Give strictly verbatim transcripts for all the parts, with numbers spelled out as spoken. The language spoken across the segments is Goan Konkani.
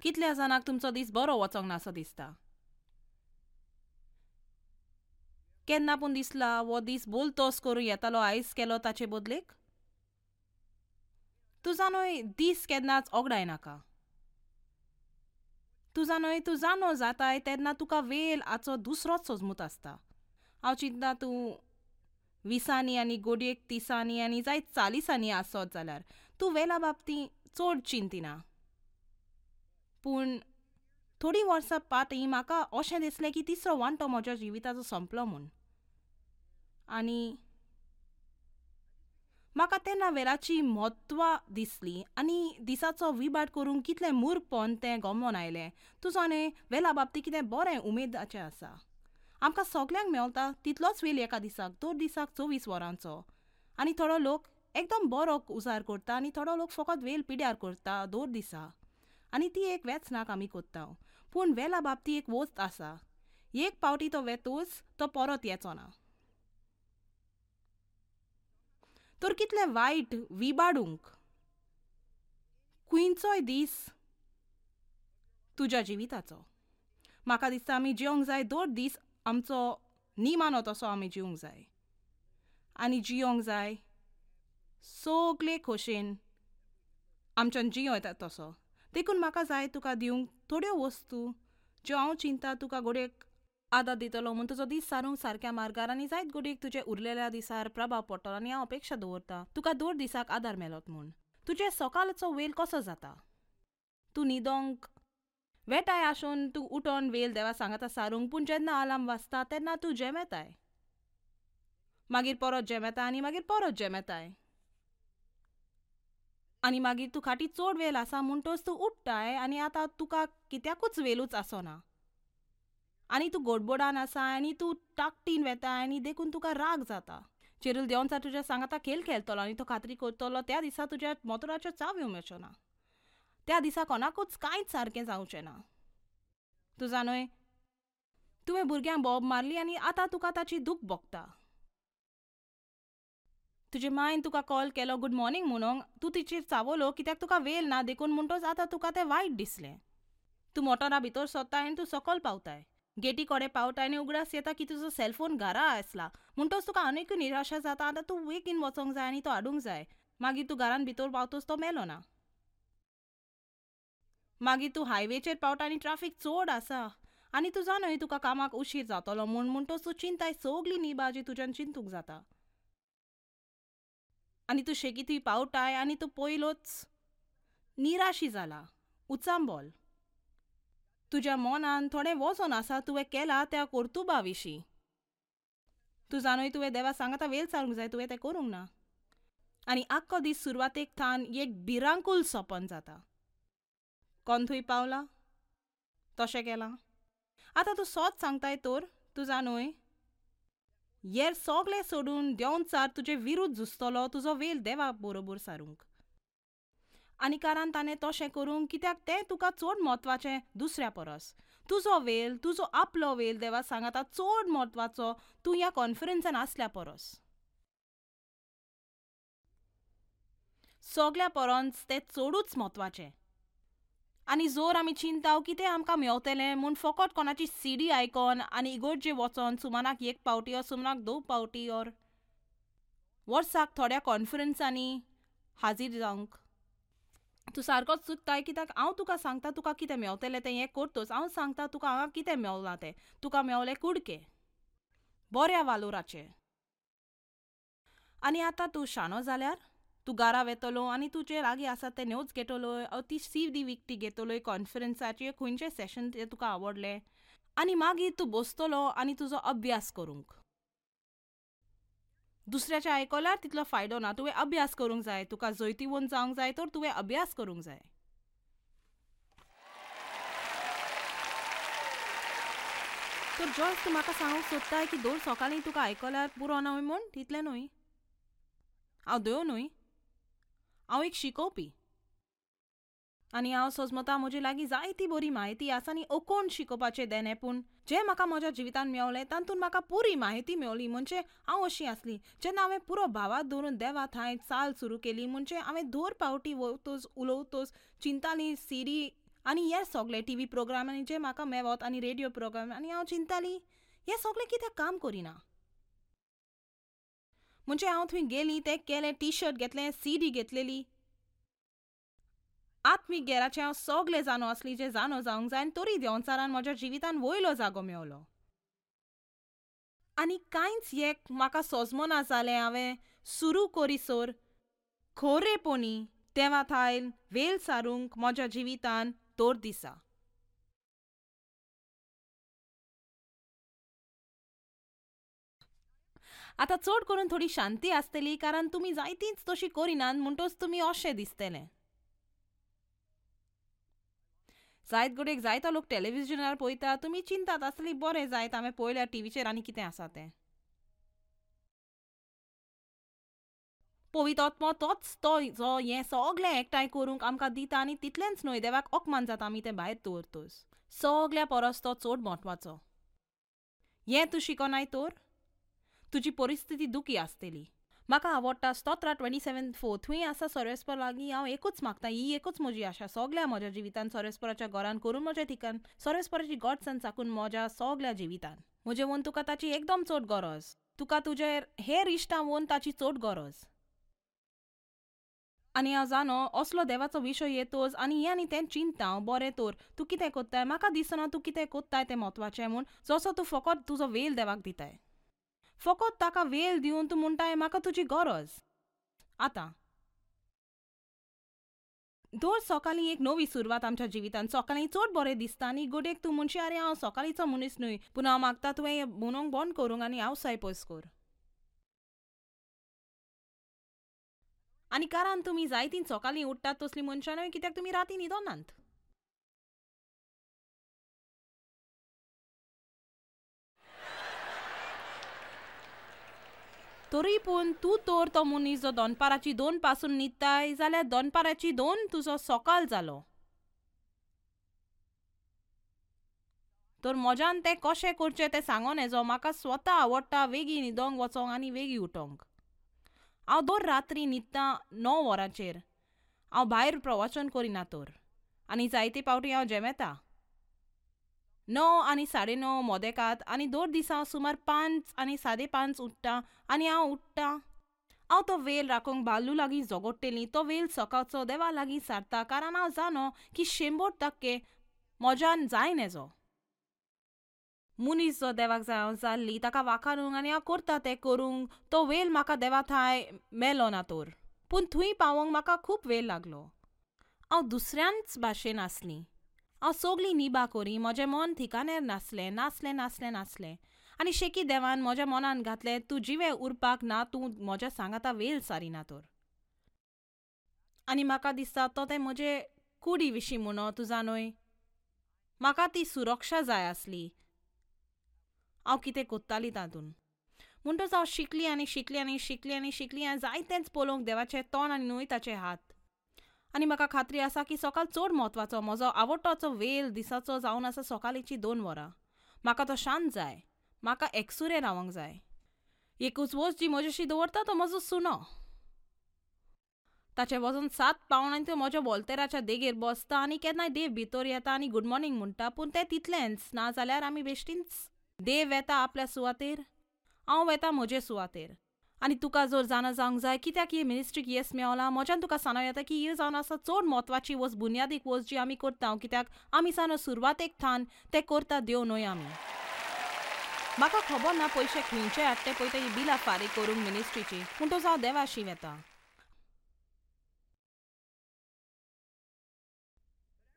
कितल्या जाणांक तुमचो दीस बरो वचोंक नासो दिसता? केन्ना पूण दिसला वो दीस बोलतोस करूं येतालो आयज केलो ताचे बदलेक? तूं जाणोय दीस केन्नाच ओगडाय नाका. तूं जाणोय तूं जाणो जाताय तेन्ना तुका वेल आचो दुसरोच सोजमूत आसता. हांव चिंतना तूं विसांनी आनी गोडयेक तिसांनी आनी जायत चालिसांनी आसत जाल्यार तूं वेला बाबतींत चड चिंतिना. पूण थोडीं वर्सां फाटीं म्हाका अशें दिसलें की तिसरो वांटो म्हज्या जिविताचो सोंपलो म्हूण. आनी म्हाका तेन्ना वेळाची म्हत्व दिसली आनी दिसाचो विभाट करूंक कितलें मूर्खपण तें गमोन आयलें. तूं जाणें वेळा बाबतींत कितें बरें उमेदाचें आसा. आमकां सगल्यांक मेळटा तितलोच वेळ एका दिसाक, दोन दिसाक चोवीस वरांचो. आनी थोडो लोक एकदम बरो उजार करता आनी थोडो लोक फकत वेळ पिड्यार करता दोन दिसा. आनी ती एक वेचनाक आमी करता. पूण वेळा बाबतींत एक वस्त आसा, एक पावटी तो वेतूच तो परत येचो ना. तर कितलें वायट विबाडूंक खंयचोय दीस तुज्या जिविताचो. म्हाका दिसता आमी जिवंक जाय दोन दीस आमचो निमानो तसो आमी जिवंक जाय आनी जिवंक जाय सगळे खोशेन आमच्यान जियो येता तसो. देखून म्हाका जाय तुका दिवंक थोड्यो वस्तू ज्यो हांव चिंता तुका घडयेक आदार दितलो म्हूण तुजो दीस सारूंक सारक्या मार्गार आनी जायत घडयेक तुजे उरलेल्या दिसार प्रभाव पडटलो. आनी हांव अपेक्षा दवरता तुका दोन दिसाक आदार मेळत म्हूण. तुजे सकाळचो वेळ कसो जाता? तूं न्हिदोंक वेटाय आसून तूं उठोन वेळ देवा सांगता सारूंक, पूण जेन्ना अलार्म वाजता तेन्ना तूं जेमेताय, मागीर परत जेमेता आनी मागीर परत जेमेताय आनी मागीर तूं खाटी चड वेळ आसा म्हणटोच तूं उठ्ठाय आनी आतां तुका कित्याकूच वेलूच आसना आनी तूं गोडबोडान आसा आनी तूं टाकटीन वेता आनी देखून तुका राग जाता. चेरूल देंवचार तुज्या सांगाता खेळ खेळटलो आनी तो खात्री करतलो त्या दिसा तुज्या मोतोराच्यो चावयो मेळच्यो ना. त्या दिसा कोणाकूच कांयच सारकें जावचें ना. तूं जाणोय तुवें भुरग्यांक बोब मारली आनी आतां तुका ताची दूख भोगता. तुजे मायन तुका कॉल केलो गूड मॉर्निंग म्हणूंक, तूं तिचेर चावलो कित्याक तुका वेळ ना देखून म्हणटोच आतां तुका तें वायट दिसलें. तूं मोटरा भितर सोदताय आनी तूं सकयल पावताय, गेटी कडेन पावताय आनी उगडास येता की तुजो सेलफोन घरा आसला म्हणटोच तुका आनीकूय निराशा जाता. आतां तूं बेगीन वचोंक जाय आनी तो हाडूंक जाय. मागीर तूं घरान भितर पावतोच तो मेलो ना. मागीर तूं हायवेचेर पावता आनी ट्राफीक चड आसा आनी तूं जाणय तुका कामाक उशीर जातलो म्हूण म्हणटोच तूं चिंताय सगली निबाजी तुज्यान चिंतूंक जाता आनी तूं शेकी थंय पावताय आनी तूं पयलोच निराशी जाला, उचांबोल. तुज्या मनान थोडें वजन आसा तुवें केलां त्या कर्तुबा विशीं. तूं जाणय तुवें देवा सांगाता वेळ सारूंक जाय, तुवें तें करूंक ना. आनी आख्खो दीस सुरवातेक थावन एक भिरांकूल सपन जाता. कोण थंय पावला तशें केलां. आतां तूं सोद सांगताय तर तूं जाणय येर सगळें सोडून देंवचार तुजे विरुद्ध झुजतलो तुजो वेळ देवा बरोबर सारूंक. आनी कारण ताणें तशें करूंक कित्याक तें तुका चड म्हत्वाचें दुसऱ्या परस. तुजो वेळ, तुजो आपलो वेळ देवा सांगाता चड म्हत्वाचो तूं ह्या कॉन्फरन्सान आसल्या परस. सगल्या परस तें चडूच म्हत्वाचें. आनी जोर आमी चिंताव की तें आमकां मेवतलें म्हूण फकत कोणाची सीडी आयकोन आनी इगोर्जे वचोन सुमानाक एक पावटी ओर सुमानाक दोन पावटी ओर वर्साक थोड्या कॉन्फरन्सांनी हाजीर जावंक. तूं सारकोच चुकताय कित्याक हांव तुका सांगता तुका कितें मेवतलें तें हें करतोच. हांव सांगता तुका हांगा कितें मेवलां तें. तुका मेवलें कुडके बऱ्या वालोराचें. आनी आतां तूं शाणो जाल्यार तूं घरा वेतलो आनी तुजे लागीं आसा ते नोट्स घेतलो, ती सी डी विकती घेतलोय कॉन्फरन्साचे खंयचें सेशन तें तुका आवडलें आनी मागीर तूं बसतलो आनी तुजो अभ्यास करूंक. दुसऱ्याचें आयकल्यार तितलो फायदो ना. तुवें अभ्यास करूंक जाय. तुका जैतिवंत जावंक जाय तर तुवें अभ्यास करूंक जाय. तर जॉयस तूं म्हाका सांगूंक सोदताय की दोन सकाळीं तुका आयकल्यार पुरो न्हय म्हूण? तितलें न्हय, हांव देव न्हय, हांव एक शिकोवपी आनी हांव सोजमता म्हजे लागीं जायती बरी म्हायती आसा आनी ओकोण शिकोवपाचें देणें. पूण जें म्हाका म्हज्या जिवितांत मेवलें तातूंत म्हाका पुरी म्हायती मेवली. म्हणजे हांव अशी आसली जेन्ना हांवें पुरो भावात दवरून देवा थंय चाल सुरू केली म्हणजे हांवें दोन पावटी वतोच उलोवतोच चिंताली सिडी आनी हे सगळे टी व्ही प्रोग्राम आनी जे म्हाका मेवत आनी रेडियो प्रोग्राम आनी हांव चिंताली हे सगळे कित्याक काम करिना. म्हणजे हांव थंय गेली, तें केलें, टी शर्ट घेतलें, सी डी घेतलेली. आत्मीक गेराचें हांव सगळें जाणो आसली जें जाणो जावंक जाय आनी तरी देंवचारान म्हज्या जिवितान वयलो जागो मेवलो. आनी कांयच एक म्हाका सोजमना जालें. हांवें सुरू करीसर खोरेपणी देवा थायल वेल सारूंक म्हज्या जिवितान तोर दिसा. आतां चड करून थोडी शांती आसतली कारण तुमी जायतींच तशी करिनात म्हणटच तुमी अशें दिसतलें. जायत घडयेक जायतो लोक टेलिविजनार पळयता, तुमी चिंतात आसतली बरें जायत हांवें पळयल्यार टिवीचेर आनी कितें आसा तें. पवित्र आत्मो तोच तो जो हें सगळें एकठांय करूंक आमकां दिता आनी तितलेंच न्हय देवाक अपमान जाता आमी तें भायर दवरतच. सगळ्या परस तो चड म्हत्वाचो. हें तूं शिकोनाय तर तुजी परिस्थिती दुखी आसतली. म्हाका आवडटा स्तोत्रा ट्वेंटी सेवन फोर थंय आसा सर्वेस्पर लागीं हांव एकूच मागता, ही एकूच म्हजी आशा सगळ्या म्हज्या जिवितान सर्वेस्पराच्या घरान करून म्हज्या ठिकाण सर्वेस्पराची गोडसाण चाकून म्हज्या सगळ्या जिवितान. म्हजे वोन तुका ताची एकदम चड गरज, तुका तुजे हेर इश्टां वोन ताची चड गरज. आनी हांव जाणो असलो देवाचो विशय येतोच आनी हें आनी तें चिंता हांव बरें तर तूं कितें कोत्ताय, म्हाका दिसना तूं कितें कोत्ताय तें म्हत्वाचें म्हूण जसो तूं फकत तुजो वेल देवाक दिताय, फकत ताका वेल दिवन तूं म्हणटाय म्हाका तुजी गरज. आतां दर सकाळीं एक नवी सुरवात आमच्या जिवितान. सकाळीं चड बरें दिसता आनी गोडेक तूं म्हणशी आरे हांव सकाळींचो मनीस न्हय, पूण हांव मागता तुवें म्हणूंक बंद करूंक आनी हांवसाय पयस कर. आनी कारण तुमी जायतीं सकाळीं उठ्ठात तसलीं मनशां न्हय कित्याक तुमी राती न्हिदोनात. तरी पूण तूं तर तो मनीस जो दनपाराची दोन पासून न्हिदताय जाल्यार दनपाराची दोन तुजो सकाळ जालो. तर म्हज्यान तें कशें करचें तें सांगोन येजो. म्हाका स्वता आवडटा वेगीं न्हिदोंक वचोंक आनी वेगीं उठोंक. हांव दर रात्री न्हिदतां णव वरांचेर. हांव भायर प्रवचन करिना तर आनी जायते पावटी हांव जेमेता णव आनी साडे णव मोदेकात आनी दर दिसा हांव सुमार पांच आनी साडे पांच उठ्ठा आनी हांव उठ्ठा. हांव तो वेल राखूंक बालू लागीं झगडटेली, तो वेल सकाळचो देवा लागीं सारता कारण हांव जाणो की शंबर टक्के म्हज्यान जायन हेजो. मनीस जो देवाक जाय हांव जाल्ली ताका वाखाणूंक आनी हांव करता तें करूंक तो वेल म्हाका देवा थांय मेलो ना तर, पूण थंय पावोंक म्हाका खूब वेळ लागलो. हांव दुसऱ्यांच भाशेन आसली. हांव सगळीं निभा करी, म्हजें मन ठिकाण्यार नासलें नासलें नासलें नासलें आनी शेकी देवान म्हज्या मनान घातलें तूं जिवें उरपाक ना, तूं म्हज्या सांगाता वेल सारिना तर. आनी म्हाका दिसता तो तें म्हजे कुडी विशीं म्हणो तूं जाणय, म्हाका ती सुरक्षा जाय आसली. हांव कितें कोत्ताली तातूंत म्हणटच हांव शिकली आनी शिकली आनी शिकली आनी शिकली आनी जायतेंच पळोवंक देवाचें तोंड आनी न्हय ताचे हात. आनी म्हाका खात्री आसा की सकाळ चड म्हत्वाचो म्हजो आवडटोचो वेल दिसाचो जावन आसा सकाळीची दोन वरां. म्हाका तो शांत जाय, म्हाका एकसुरें रावंक जाय. एकूच वस्त जी म्हजेशी दवरता तो म्हजो सुनो. ताचें वजन सात पावंड आनी तो म्हज्या वॉल्तेराच्या देगेर बसता आनी केन्नाय देव भितर येता आनी गूड मॉर्निंग म्हणटा, पूण तें तितलेंच. ना जाल्यार आमी बेश्टींच देव वेता आपल्या सुवातेर, हांव वेता म्हजे सुवातेर. आनी तुका जर जाणा जावंक जाय कित्याक ही मिनिस्ट्रीक येस मेवला, म्हज्यान तुका सांगूं येता की ही जावन आसा चड म्हत्वाची वस्त, बुन्यादीक वस्त जी आमी करता कित्याक आमी जाणा सुरवातेक थान तें करता देव न्हय आमी. म्हाका खबर ना पयशे खंयचे हाडटे पळय ते बिलां फारीक करूंक मिनिस्ट्रीची, म्हणटच हांव देवाशी वेता.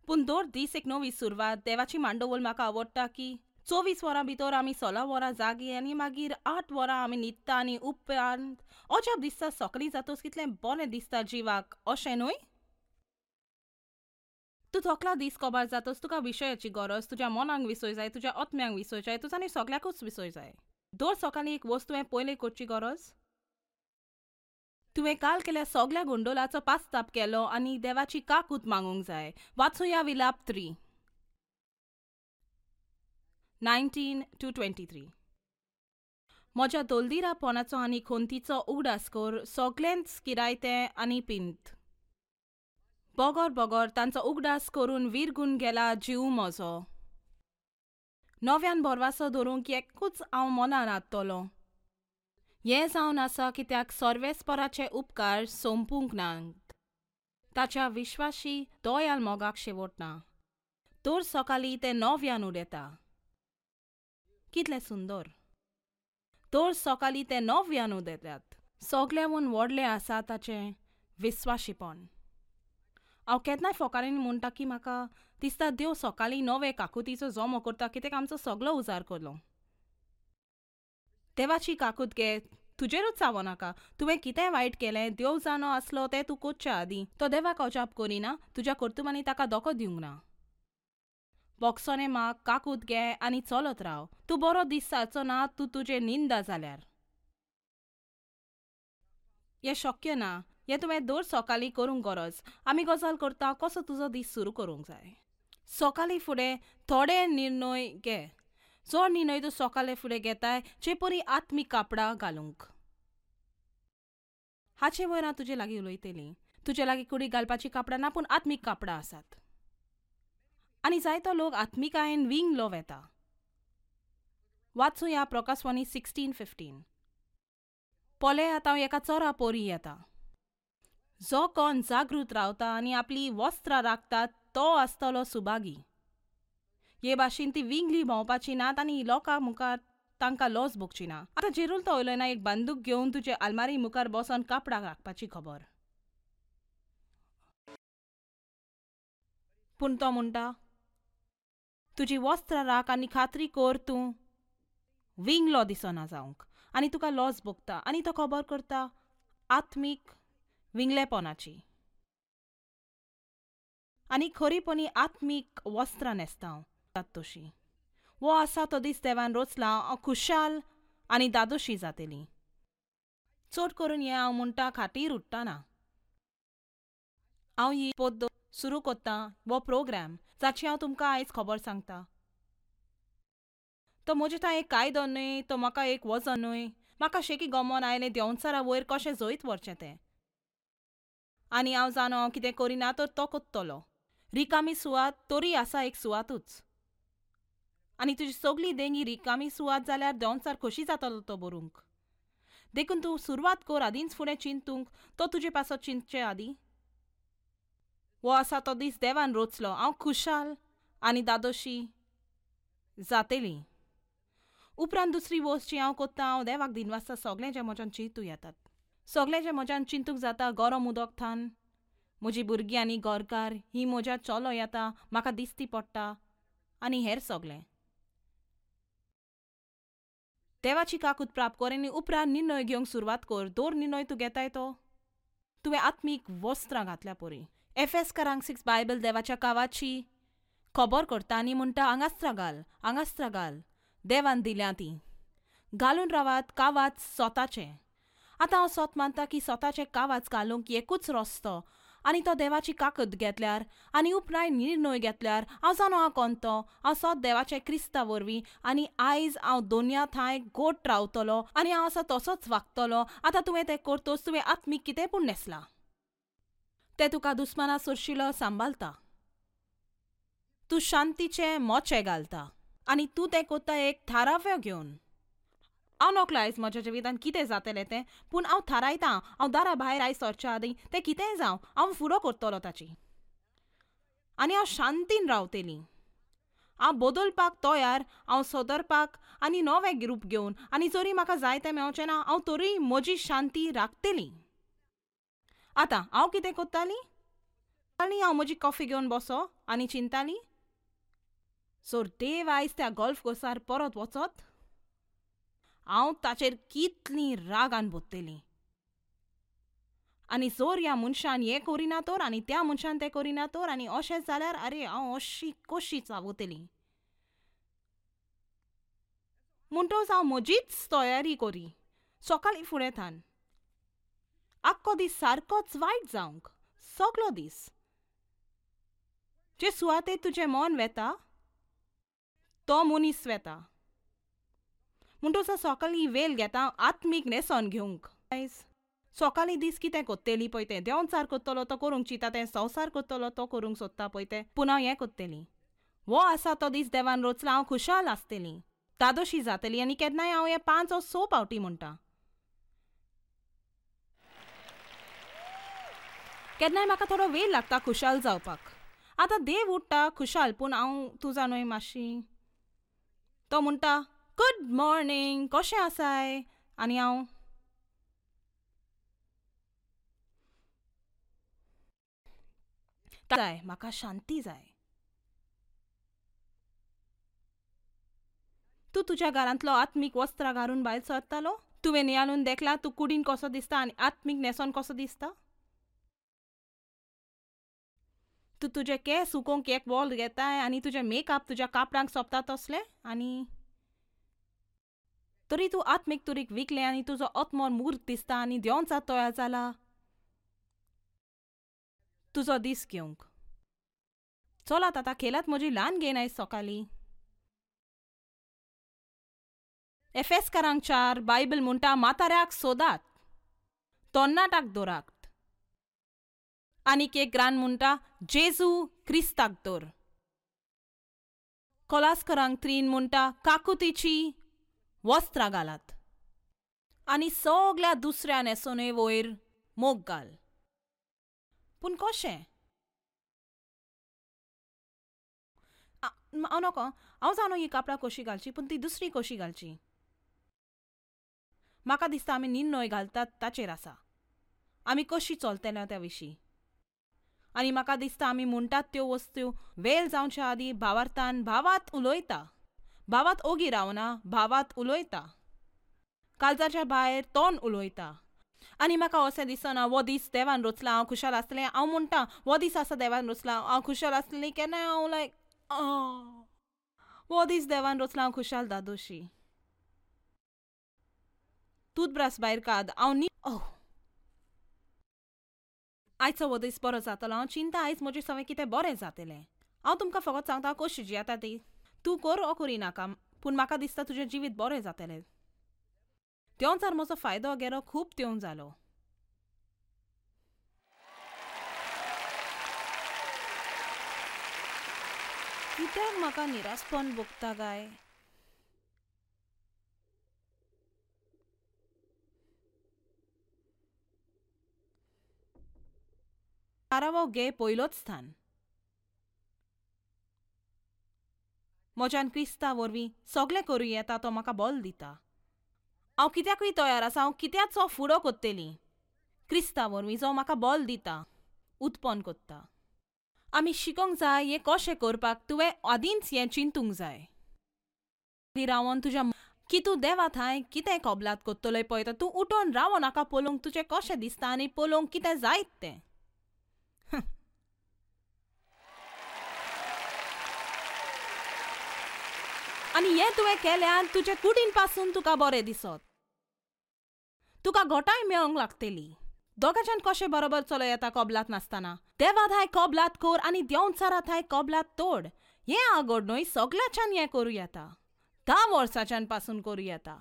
पूण दर दीस एक नवी सुरवात. देवाची मांडवळ म्हाका आवडटा की चोवीस वरां भितर आमी सोळा वरां जागी आनी मागीर आठ वरां आमी न्हिदता आनी उपरांत अजाप दिसता सकाळीं जातच कितलें बरें दिसता जिवाक, अशें न्हय? तूं थकला दीस कबार जातच तुका विशयाची गरज, तुज्या मनाक विसय जाय, तुज्या आत्म्यांक विसय जाय, तुज्या आनी सगळ्याकूच विसय जाय. दर सकाळीं एक वस्त तुवें पयलीं करची गरज, तुवें काल केल्या सगळ्या गोंडोलाचो पास्ताप केलो आनी देवाची काकूत मागूंक जाय. वाचुया विलाप three nineteen to twenty three. म्हज्या दोलदिरापणाचो आनी खंतीचो उगडास कर, सगळेंच किरायतें आनी पिंत. बोगोर बोगोर तांचो उगडास करून विरगून गेला जीव म्हजो. नव्यान भरवासो धरूंक एकूच हांव मनान हाडटलो. हें जावन आसा कित्याक सर्वेस्पराचे उपकार सोंपूंक नात, ताच्या विश्वाशी दयाल मोगाक शेवट ना. तर सकाळीं तें नव्यान उडयता. कितलें सुंदर! तर सकाळीं तें नव्यान उडयतात. सगळ्याहून व्हडलें आसा ताचें विस्वाशीपण. हांव केन्नाय फोकारांनी म्हणटा की म्हाका दिसता देव सकाळीं नवे काकुतीचो जमो करता कित्याक आमचो सगळो उजार करलो. देवाची काकूत घे, तुजेरूच सावो नाका. तुवें कितें वायट केलें देव जाणो आसलो तें तूं करच्या आदीं. तो देवाक अजाप करिना, तुज्या कर्तुबांनी ताका धोको दिवंक ना. बोगसोने माग, काकूत घे आनी चलत राव. तूं बरो दीस सारचो ना तूं तुजें निंदा जाल्यार. हें शक्य ना. हें तुवें दर सकाळीं करूंक गरज. आमी गजाल करता कसो तुजो दीस सुरू करूंक जाय. सकाळीं फुडें थोडे निर्णय घे. जो निर्णय तूं सकाळीं फुडें घेताय जे परी आत्मीक कापडां घालूंक. हाचे वयर हांव तुजे लागीं उलयतली. तुजे लागीं कुडीक घालपाचीं कापडां ना, पूण आत्मीक कापडां आसात. आनी जायतो लोक आत्मिकायेन विंगलो वेता. वाचुया प्रकाशवाणी सिक्स्टीन फिफ्टीन. पळयात हांव एका चोरा पोरी येता. जो कोण जागृत रावता आनी आपली वस्त्रां राखता तो आसतलो सुभागी. हे भाशेन ती विंगली भोंवपाची नात आनी लोकां मुखार तांकां लॉस भोगची ना. आतां जेरूल तो उलयना एक बंदूक घेवन तुजे आलमारी मुखार बसोन कापडां राखपाची खबर. पूण तो म्हणटा तुजी वस्त्रां राख आनी खात्री कर तूं विंगलो दिसना जावंक आनी तुका लॉस भोगता. आनी तो खबर करता आत्मीक विंगलेपणाची. आनी खरीपणी आत्मीक वस्त्रां न्हेसता हांव तशी. वो आसा तो दीस देवान रोचला, हांव खुशाल आनी दादोशी जातली. चड करून हें हांव म्हणटा खातीर उठ्ठना. हांव ही पद्दत सुरू करता, हो प्रोग्राम जाची हांव तुमकां आयज खबर सांगता. तो म्हजे थंय एक कायदो न्हय, तो म्हाका एक वजन न्हय. म्हाका शेकी गमोन आयलें देंवचारा वयर कशें जैत व्हरचें तें. आनी हांव जाणो हांव कितें करिना तर तो कोत्तलो. रिकामी सुवात तरी आसा एक सुवातूच. आनी तुजी सगळी देंगी रिकामी सुवात जाल्यार देंवचार खोशी जातलो तो बरूंक. देखून तूं सुरवात कर आदींच फुडें चिंतूंक, तो तुजे पासत चिंतचे आदीं. हो आसा तो दीस देवान रोचलो, हांव खुशाल आनी दादोशी जातली. उपरांत दुसरी वस्त जी हांव कोत्ता, हांव देवाक दिनवासता सगळें जें म्हज्यान चिंतूं येतात, सगळें जें म्हज्यान चिंतूंक जाता. गरम उदक थान म्हजी भुरगीं आनी घरकार ही म्हज्या चलो येता म्हाका दिसती पडटा आनी हेर सगळें. देवाची काकूत प्राप्त कर आनी उपरांत निर्णय घेवंक सुरवात कर. दर निर्णय तूं घेताय तो तुवें आत्मीक वस्त्रां घातल्या परी. एफेसकारांक सिक्स बायबल देवाच्या कावाची खबर करता आनी म्हणटा आंगास्त्रां घाल, आंगास्त्रां घाल, देवान दिल्या ती घालून रावात कावाच स्वताचें. आतां हांव सोत मानता की स्वताचें कावाच घालूंक एकूच रस्तो आनी तो देवाची काकत घेतल्यार आनी उपरांत निर्णय घेतल्यार हांव जाणो हांव कोण तो. हांव सोत देवाचे क्रिस्ता वरवीं आनी आयज हांव दोनया थांय गोट रावतलो आनी हांव आसा तसोच वागतलो. आतां तुवें तें करतोच तुवें आत्मीक कितें पूण न्हेसलां तें तुका दुस्माना सरशिलो सांबाळता. तूं शांतीचे मोचे घालता आनी तूं तें कोत्ता एक थाराव्यो घेवन. हांव नकळो आयज म्हज्या जिवितांत कितें जातलें तें, पूण हांव थारायतां हांव दारा भायर आयज सरच्या आदीं तें कितेंय जावं हांव फुडो करतलो ताची आनी हांव शांतीन रावतली. हांव बदलपाक तयार, हांव सोदरपाक आनी नवें रूप घेवन आनी जरी म्हाका जाय तें मेवचें ना हांव तरी म्हजी शांती राखतली. आतां हांव कितें करताली आनी हांव म्हजी कॉफी घेवन बसो आनी चिंताली सो देव आयज त्या गोल्फ कोर्सार परत वचत हांव ताचेर कितली रागान बोत्तली आनी जोर ह्या मनशान हें करिना तर आनी त्या मनशान तें करिना तर आनी अशें जाल्यार आरे हांव अशी कशी चावतली. म्हणटकच हांव म्हजीच तयारी करी सकाळीं फुडें थान आख्खो दीस सारकोच वायट जावंक सगलो दीस. जे सुवातेर तुजें मन वेता तो मनीस वेता. म्हणटकच सकाळीं वेळ घेता आत्मीक न्हेसोन घेवंक. आयज सोकाळीं दीस कितें कोत्तेली पळय तें, देंवचार कोत्तलो तो करूंक चिंता तें, संवसार कोत्तलो तो करूंक सोदता पळय तें, पूण हांव हें कोत्तेली. वो आसा तो दीस देवान रोचला, हांव खुशाल आसतली, तादोशी जातली. आनी केन्नाय हांव हें पांच ओ स पावटी म्हणटा. केन्नाय म्हाका थोडो वेळ लागता खुशाल जावपाक. आतां देव उठ्ठा खुशाल, पूण हांव तुजा न्हय मातशी. तो म्हणटा गुड मॉर्निंग, कशें आसाय? आनी हांव जाय, म्हाका शांती जाय. तूं तुज्या घरांतलो आत्मीक वस्त्रां घालून भायर सरतालो? तुवें नियाळून देखला तूं कुडीन कसो दिसता आनी आत्मीक न्हेसोन कसो दिसता? तूं तुजे केंस सुकोवंक एक वॉल घेताय आनी तुजें मेकअप तुज्या कापडांक सोंपता तसलें, आनी तरी तूं आत्मीक तुरीक विकलें आनी तुजो आत्मो मूर्ख दिसता आनी देंवचार तयार जाला तुजो दीस घेवंक. चलात आतां खेलात म्हजी ल्हान घेन आयज सकाळीं. एफेस्कारांक चार बायबल म्हणटा म्हाताऱ्याक सोदात, तोन्नाटाक दवरात. आनीक एक ग्रान म्हणटा जेजू क्रिस्ताक दवर. कोलास्करांक त्रीन म्हणटा काकुतीची वस्त्रां घालात आनी सगल्या दुसऱ्या न्हेसोने वयर मोग घाल. पूण कशें? हांव नको, हांव जाणो ही कापडां कशी घालची, पूण ती दुसरी कशी घालची? म्हाका दिसता आमी निर्णय घालतात ताचेर आसा आमी कशी चलतले त्या विशीं. आनी म्हाका दिसता आमी म्हणटात त्यो वस्तू वेल जावच्या आदीं भावार्थान भावात उलयता, भावात ओगी रावना, भावात उलयता, काळजाच्या भायर तोंड उलयता. आनी म्हाका अशें दिसना हो दीस देवान रोचला हांव खुशाल आसलें. हांव म्हणटा हो दीस आसा देवान रोचला हांव खुशाल आसलें. केन्नाय हांव लायक हो दीस देवान रोचला हांव खुशाल दादोशी. टूथब्रश भायर काड, हांव न्ही ओह आयचो हो दीस बरो जातलो. हांव चिंता आयज म्हजें सगळें कितें बरें जातलें. हांव तुमकां फकत सांगता कशी जियेता ती, तूं कर ओ करिनाका, पूण म्हाका दिसता तुजें जिवीत बरें जातलें. देंवचार म्हजो फायदो गेलो खूब देंवन जालो. कित्याक म्हाका निरासपण भोगता काय? कारावो गे पयलोच स्थान. म्हज्यान क्रिस्ता वरवीं सगळें करूं येता, तो म्हाका बल दिता. हांव कित्याकूय तयार आसा, हांव कित्याचो फुडो कोत्तली क्रिस्ता वरवीं जो म्हाका बल दिता, उत्पन्न कोत्ता. आमी शिकोंक जाय हें कशें करपाक, तुवें आदींच हें चिंतूंक जाय. रावन तुज्या की तूं देवा थंय कितें कबलात कोत्तलोय पळयता, तूं उठोन रावो नाका पळोवंक तुजें कशें दिसता आनी पळोवंक कितें जायत तें. आनी हें तुवें केल्यार तुजे कुडीन पासून तुका बरें दिसत, तुका घोटाय मेळोंक लागतली. दोगांच्यान कशें बरोबर चलो येता कबलात नासतना? देवा थांय कबलात कर आनी देंवचारा थांय कबलात तोड. हें आगोड न्हय, सगल्याच्यान हें करूं येता, धा वर्सांच्यान पासून करूं येता.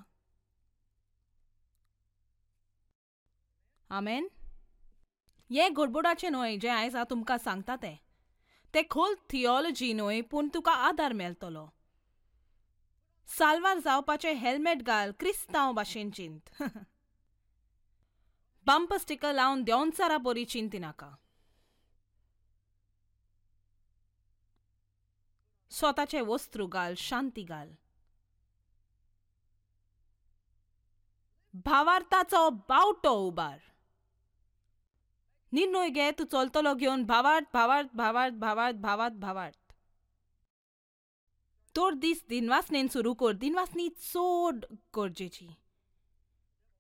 आमेन. हें गडबडाचें न्हय जें आयज हांव तुमकां सांगता तें, तें खोल थियोलॉजी न्हय, पूण तुका आदार मेळटलो. साल्वार जावपाचें हेल्मेट घाल, क्रिस्तांव भाशेन चिंत. बंपर स्टिकर लावन देंवचारा बरी चिंतिनाका. स्वताचें वस्त्रू घाल, शांती घाल. भावार्थाचो बावटो उबार. निर्णय घे तूं चलतलो घेवन भावार्थ भावार्थ भावार्थ भावार्थ भावार्थ भावार्थ. तोर दीस दिनवासनेन सुरू कर. दिनवासनी चड गरजेची.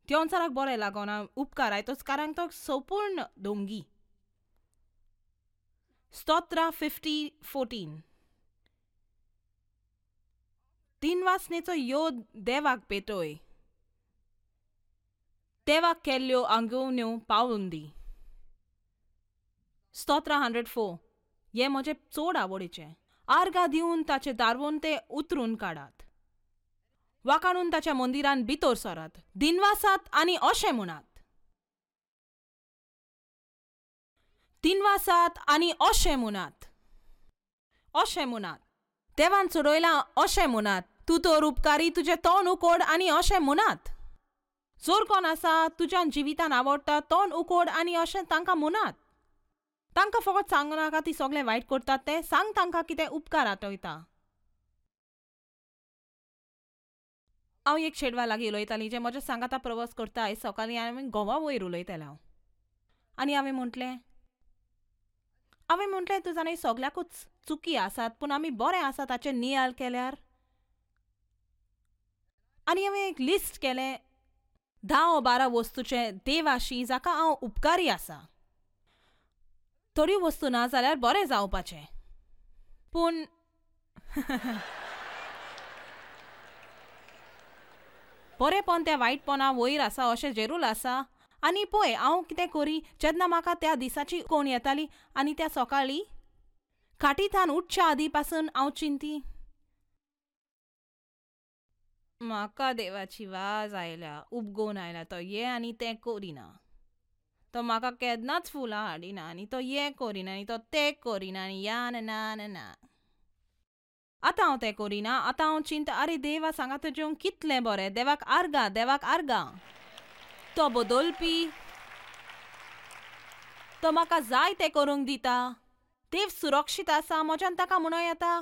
देंवचाराक बरें लागना उपकार आयतोच, कारण तो संपूर्ण दोंगी. स्तोत्रा फिफ्टी फोर्टीन. दिनवासनेचो योद देवाक पेटोय, देवाक केल्ल्यो आंगोवण्यो पावून दी. स्तोत्रा हंड्रेड फोर. हें म्हजें चड आवडीचें. आर्गां दिवन ताचे दारवून ते उतरून काडात, वाकाणून ताच्या मंदिरान भितर सरात, दिनवासात आनी अशें म्हणात. दिनवासात आनी अशें म्हणात, अशें म्हणात, देवान सोडयलां अशें म्हणात, तूं तर उपकारी, तुजें तोंड उकोड आनी अशें म्हणात. जोर कोण आसा तुज्यान जिवितान आवडटा, तोंड उकोड आनी अशें तांकां म्हणात. तांकां फकत सांगू नाका ती सगळें वायट करतात तें, सांग तांकां कितें उपकार आठयता. हांव एक चेडवा लागीं उलयतालीं जें म्हज्या सांगाता प्रवास करता आयज सकाळीं आनी गोवा वयर उलयतालें हांव. आनी हांवें म्हटलें हांवें म्हटलें तूं जाणा सगल्याकूच चुकी आसात, पूण आमी बरें आसा ताचें नियाळ केल्यार. आनी हांवें एक लिस्ट केलें धा ओ बारा वस्तूचें देवाशी जाका हांव उपकारी आसा. थोड्यो वस्तू ना जाल्यार बरें जावपाचें, पूण बरेंपण त्या वायटपणा वयर आसा अशें जेरूल आसा. आनी पळय हांव कितें करी, जेन्ना म्हाका त्या दिसाची कोण येताली आनी त्या सकाळीं खाटीथान उठच्या आदी पासून हांव चिंती, म्हाका देवाची वाज आयल्या, उपगोवन आयल्या, तो ये आनी तें करिना, तो म्हाका केन्नाच फुलां हाडिना आनी तो हें करिना आनी तो तें करिना आनी या ना ना ना. आतां हांव तें करिना. आतां हांव चिंता, आरे देवा सांगात जेवंक कितलें बरें, देवाक आर्गां, देवाक आर्गां, तो बदलपी, तो म्हाका जाय तें करूंक दिता, देव सुरक्षीत आसा, म्हज्यान ताका म्हणूं येता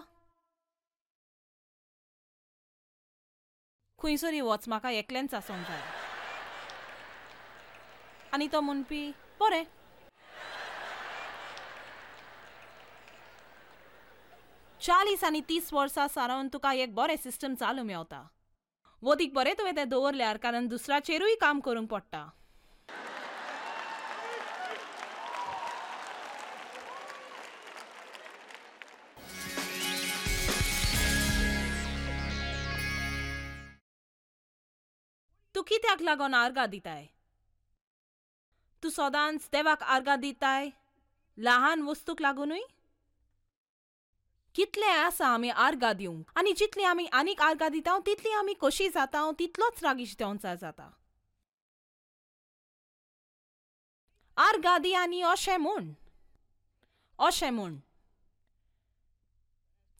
खंयसरी वच, म्हाका एकलेंच आसूंक जाय. आनी तो म्हणपी बरें. चाळीस आनी तीस वर्सां सारून तुका एक बरें सिस्टम चालू मेवता. वदीक बरें तुवें तें दवरल्यार, कारण दुसऱ्याचेरूय काम करूंक पडटा. तूं कित्याक लागून आर्गां दिताय? तूं सदांच देवाक आर्गां दिताय लहान वस्तूक लागुनूय? कितलें आसा आमी आर्गां दिवंक, आनी जितली आमी आनीक आर्गां दिता तितली आमी खोशी जाता, तितलोच रागीश देंवचार जाता. आर्गां दी आनी अशें म्हूण, अशें म्हूण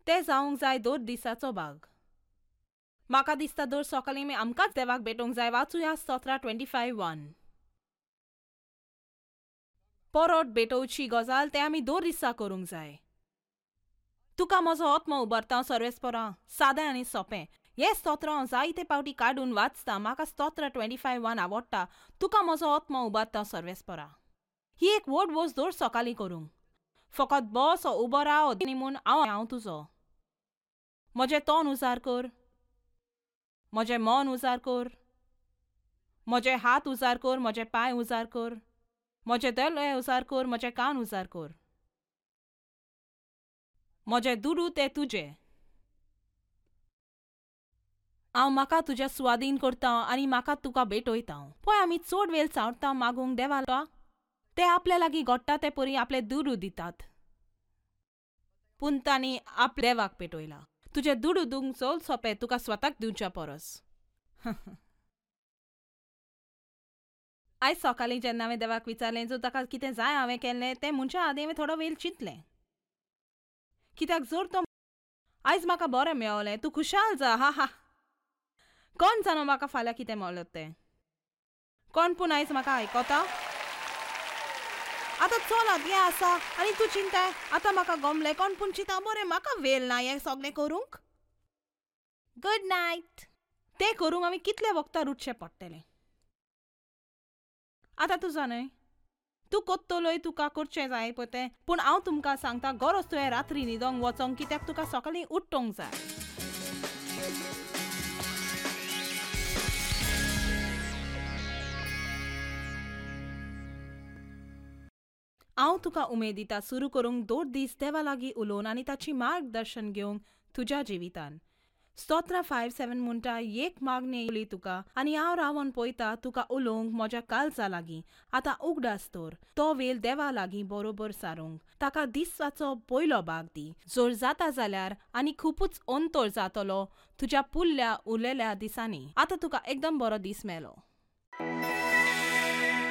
तें जावंक जाय दर दिसाचो भाग. म्हाका दिसता दर सकाळीं आमी आमकांच देवाक भेटोवंक जाय. वाचुया स्तोत्रां ट्वेंटी फायव वन. परत भेटोवची गजाल तें आमी दर दिसा करूंक जाय. तुका म्हजो आत्मो उबारता सर्वेस्परा, सादें आनी सोंपें. हें स्तोत्र हांव जायते पावटी काडून वाचता. म्हाका स्तोत्र ट्वेंटी फायव वन आवडटा. तुका म्हजो आत्मो उबारता सर्वेस्परा. ही एक व्हड वस्त दर सकाळीं करूंक. फकत बस उबो राव आनी म्हूण हांव हांव तुजो. म्हजें तोंड उजार कर, म्हजें मन उजार कर, म्हजे हात उजार कर, म्हजे पांय उजार कर, म्हजे दोळे उजार कर, म्हजे कान उजार कर, म्हजे दुडू ते तुजे. हांव म्हाका तुज्या सुवादीन करता आनी म्हाका तुका भेटयता. पळय आमी चड वेळ चावता मागूंक देवाला, ते आपल्या लागीं घडटा ते परी आपले दुडू दितात, पूण तांणी आपल्या देवाक पेटयला. तुजे दुडू दिवंक चड सोंपें तुका स्वताक दिवच्या परस. आयज सकाळीं जेन्ना हांवें देवाक विचारलें जर ताका कितें जाय हांवें केल्लें तें म्हणच्या आदीं हांवें थोडो वेळ चिंतलें, कित्याक जर तो आयज म्हाका बरें मेवलें, तूं खुशाल जा, हा हा, कोण जाणो म्हाका फाल्यां कितें मेवलें तें, कोण पूण आयज म्हाका आयकता. आतां चलात हें आसा आनी तूं चिंताय आतां म्हाका गमलें, कोण पूण चिंता बरें म्हाका वेळ ना हें सगळें करूंक, गुड नायट. तें करूंक आमी कितले वखदां उठचें पडटलें. आतां तूं जाणय तूं कोत्तलोय, तुका करचें जाय पळय तें, पूण हांव तुमकां सांगता गरज तुवें रात्री न्हिदोंक वचोंक, कित्याक तुका सकाळीं उठोंक जाय. हांव तुका उमेद दिता सुरू करूंक दोन दीस देवा लागीं उलोवन आनी ताची मार्गदर्शन घेवंक तुज्या जिवितान. स्तोत्रां फायव सेवन म्हणटा, एक मागणी येयली तुका आनी हांव रावन पळयता तुका उलोवंक म्हज्या काळजा लागीं. आतां उगडास दवर तो वेळ देवा लागीं बरोबर सारूंक, ताका दिसाचो पयलो भाग दी. जर जाता जाल्यार आनी खुबूच अंतर जातलो तुज्या पुल्ल्या उरलेल्या दिसांनी. आतां तुका एकदम बरो दीस मेलो.